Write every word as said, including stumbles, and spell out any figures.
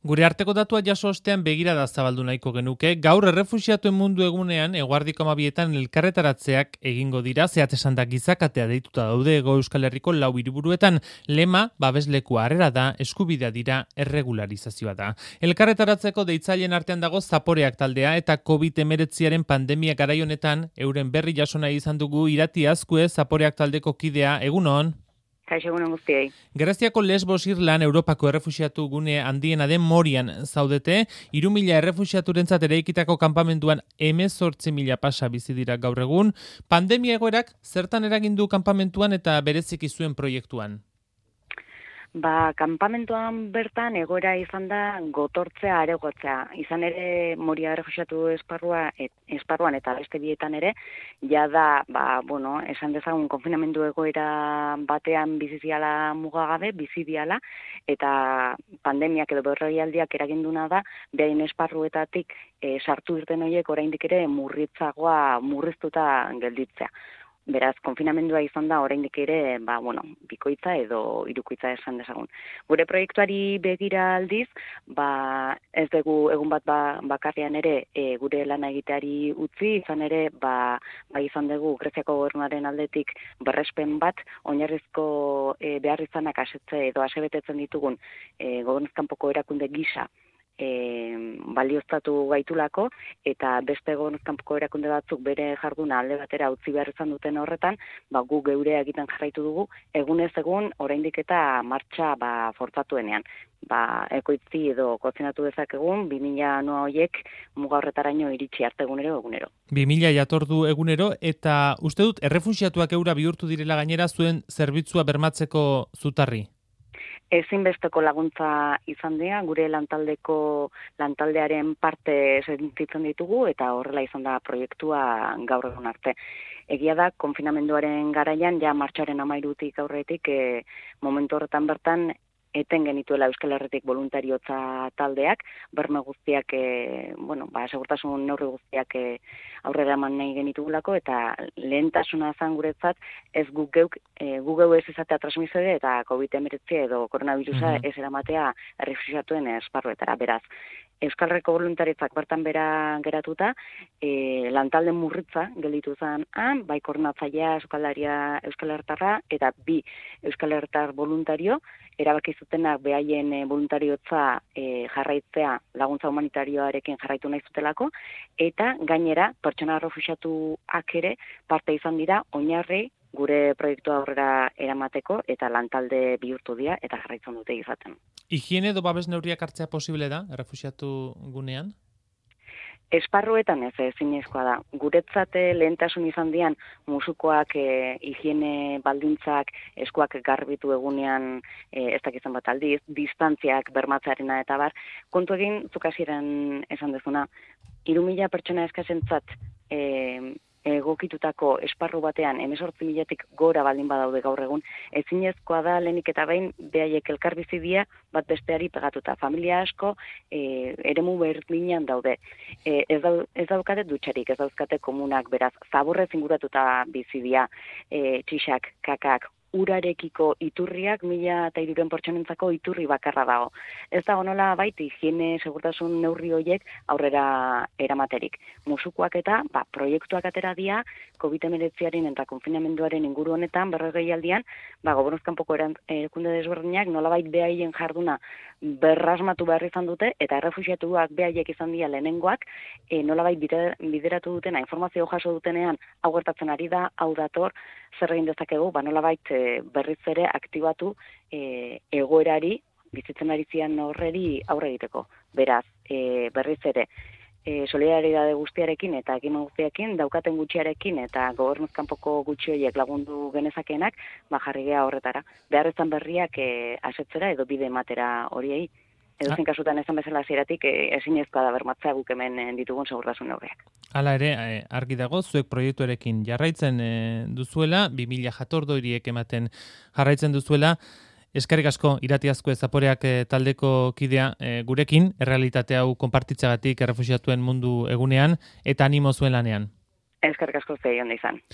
Gure arteko datua jaso ostean begirada zabaldu nahiko genuke. Gaur errefuxiatuen mundu egunean eguerdiko hamabietan elkarretaratzeak egingo dira, zehat esan da gizakatea deituta daude Hego Euskal Herriko lau hiriburuetan. Lema babeslekua harrera da, eskubidea dira, erregularizazioa da. Elkarretaratzeko deitzaileen artean dago Zaporeak taldea eta covid hemeretziaren pandemia garai honetan euren berri jaso nahi izan dugu Irati Azkue, Zaporeak taldeko kidea. Egunon. Kaixo, egunon guztiei. Greziako Lesbos Irlan Europako errefuxiatu gune handiena den Morian zaudete, hiru mila errefuxiaturentzat eraikitako kanpamenduan hemezortzi mila pasa bizi dira gaur egun. Pandemia egoerak zertan eragin du kanpamentuan eta bereziki zuen proiektuan? Ba, kanpamentuan bertan egoera izan da gotortzea aregotzea. Izan ere Moria errefuxiatu esparrua, et, esparruan eta beste bietan ere, ja da, ba, bueno, esan dezagun konfinamendu egoera batean biziziala mugagabe, bizidiala, eta pandemiak edo berroialdiak eraginduna da, behain esparruetatik e, sartu irten horiek oraindik ere murritzagoa murriztuta gelditzea. Beraz, konfinamendua izan da oraindik ere, ba, bueno, bikoitza edo hirukoitza esan dezagun. Gure proiektuari begira aldiz, ba, ez dugu egun bat ba, bakarrean ere e, gure lana egiteari utzi, izan ere, ba, ba izan dugu Greziako gobernuaren aldetik berrespen bat, oinarrizko e, behar izanak asetze edo asebetetzen ditugun e, gobernuzkanpoko erakunde gisa, E, balioztatu gaitulako eta beste gobernuzkanpoko erakunde batzuk bere jarduna alde batera utzi behar izan duten horretan, ba, gu geurea egiten jarraitu dugu, egunez egun oraindik eta martxa ba, fortzatuenean. Ba, ekoitzi edo kozinatu dezakegun, bi mila noa horiek muga horretaraino iritsi arte egunero egunero. bi mila jatordu egunero eta uste dut errefuxiatuak eura bihurtu direla gainera zuen zerbitzua bermatzeko zutarri? Ezinbesteko laguntza izan dira, gure lantaldeko lantaldearen parte sentitzen ditugu eta horrela izan da proiektua gaur egun arte. Egia da, konfinamenduaren garaian, ja martxoaren hamairutik aurretik, e, momentu horretan bertan, eten genituela Euskal Herritik voluntariotza taldeak, berme guztiak, e, bueno, ba, segurtasun neurri guztiak e, aurrera eman nahi genitugulako, eta lehentasuna zan guretzat, ez guk geuk, e, gu geu ez izatea transmisore eta covid hemeretzi edo koronavirusa Mhm. ez eramatea errefuxiatuen esparruetara. Beraz, Euskal Herriko voluntaritzak bertan bera geratuta, e, lantalde murritza gelditu zen han, bai koordinatzailea Euskalaria Euskal Hertarra eta bi Euskal Hertar voluntario, erabaki zutenak behaien e, voluntariotza e, jarraitzea laguntza humanitarioarekin jarraitu nahi zutelako, eta gainera pertsona errefuxiatuak ere parte izan dira oinarri gure proiektua aurrera eramateko eta lantalde bihurtu dira eta jarraitzen dute izaten. Higiene edo babes neurriak hartzea posible da errefuxiatu gunean? Esparruetan ez ezinezkoa da. Guretzat lehentasun izan dian musukoak, e, higiene baldintzak, eskuak garbitu egunean e, ez dakizan bat aldiz, distantziak bermatzearena eta bar, kontu egin zuk hasieran esan dezuna, hiru mila pertsona eskasentzat e, egokitutako esparru batean hemezortzi milatik gora baldin badaude gaur egun, ezinezkoa da lehenik eta behin behaiek elkarbizidia bat besteari pegatuta. Familia asko e, eremu berdinean daude. E, ez, dau, ez daukate dutxarik, ez dauzkate komunak, beraz, zaburrez inguratuta bizidia, e, txixak, kakak, urarekiko iturriak mila eta hiruren pertsonentzako iturri bakarra dago. Ez dago nola baiti higiene segurtasun neurri horiek aurrera eramaterik. Musukoak eta ba, proiektuak atera dira covid hemeretziaren eta konfinamenduaren inguru honetan berrogeialdian, ba, gobernuzkanpoko erakunde desberdinak nolabait behaien jarduna berrasmatu behar izan dute eta errefuxiatuak behaiek izan dira lehenengoak, e, nolabait bideratu dutena, informazio jaso dutenean hau gertatzen ari da, hau dator, zer egin dezakegu, ba, nolabait berriz ere aktibatu e, egoerari, bizitzen ari zian horreri aurre egiteko. Beraz, e, berriz ere, e, solidaridade guztiarekin eta ekimen guztiarekin, daukaten gutxiarekin eta gobernuzkanpoko gutxi horiek lagundu genezakenak, ba, jarri gea horretara. Beharrezan berriak e, asetzera edo bide ematera horiei. Edo zen kasutan esan bezala hasieratik ezinezkoa da bermatzea guk hemen ditugun segurtasun neurriak. Hala ere, argi dago, zuek proiektuarekin jarraitzen duzuela, bi mila jatordo horiek ematen jarraitzen duzuela. Eskerrik asko, Irati Azkue, Zaporeak taldeko kidea gurekin, errealitate hau konpartitzagatik errefuxiatuen mundu egunean, eta animo zuen lanean. Eskerrik asko zei onda izan.